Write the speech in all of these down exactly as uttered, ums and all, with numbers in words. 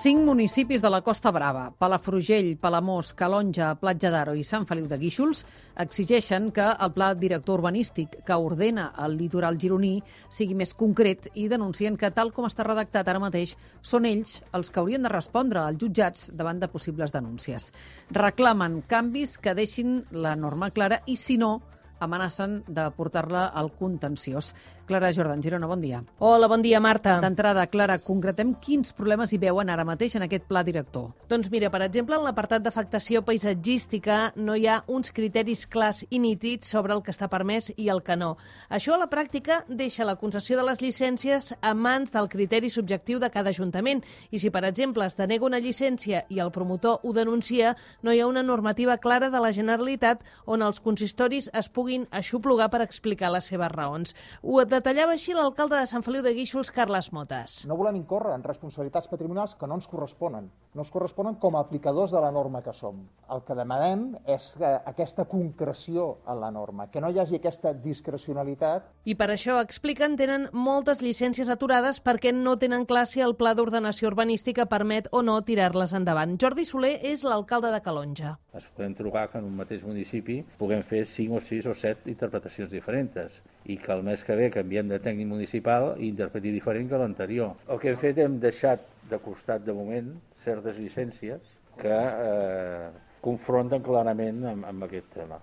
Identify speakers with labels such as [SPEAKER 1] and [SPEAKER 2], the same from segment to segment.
[SPEAKER 1] Cinc municipis de la Costa Brava, Palafrugell, Palamós, Calonja, Platja d'Aro i Sant Feliu de Guíxols, exigeixen que el pla director urbanístic que ordena el litoral gironí sigui més concret i denuncien que, tal com està redactat ara mateix, són ells els que haurien de respondre als jutjats davant de possibles denúncies. Reclamen canvis que deixin la norma clara i, si no, amenacen de portar-la al contenciós. Clara Jordan, Girona, bon dia.
[SPEAKER 2] Hola, bon dia, Marta.
[SPEAKER 1] D'entrada, Clara, concretem quins problemes hi veuen ara mateix en aquest pla director.
[SPEAKER 2] Doncs mira, per exemple, en l'apartat d'afectació paisatgística no hi ha uns criteris clars i nítids sobre el que està permès i el que no. Això a la pràctica deixa la concessió de les llicències a mans del criteri subjectiu de cada ajuntament i si, per exemple, es denega una llicència i el promotor ho denuncia, no hi ha una normativa clara de la Generalitat on els consistoris es puguin aixoplugar per explicar les seves raons. Ho detallava així l'alcalde de Sant Feliu de Guíxols, Carles Motes.
[SPEAKER 3] No volem incórrer en responsabilitats patrimonials que no ens corresponen. No ens corresponen com a aplicadors de la norma que som. El que demanem és que aquesta concreció en la norma, que no hi hagi aquesta discrecionalitat.
[SPEAKER 2] I per això, expliquen, tenen moltes llicències aturades perquè no tenen clar si el pla d'ordenació urbanística permet o no tirar-les endavant. Jordi Soler és l'alcalde de Calonja.
[SPEAKER 4] Es podem trobar que en un mateix municipi puguem fer cinc o sis o set interpretacions diferents i que el mes que ve canviem de tècnic municipal i interpreti diferent que l'anterior. El que hem fet, hem deixat de costat de moment certes llicències que eh, confronten clarament amb, amb aquest tema.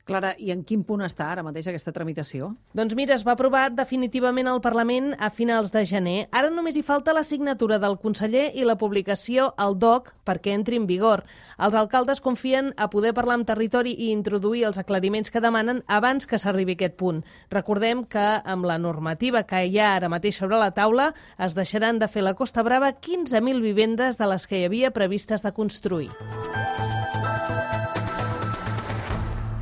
[SPEAKER 1] Clara, i en quin punt està ara mateix aquesta tramitació?
[SPEAKER 2] Doncs mira, es va aprovar definitivament al Parlament a finals de gener. Ara només hi falta la signatura del conseller i la publicació al D O C perquè entri en vigor. Els alcaldes confien a poder parlar amb territori i introduir els aclariments que demanen abans que s'arribi a aquest punt. Recordem que amb la normativa que hi ha ara mateix sobre la taula es deixaran de fer a la Costa Brava quinze mil vivendes de les que hi havia previstes de construir.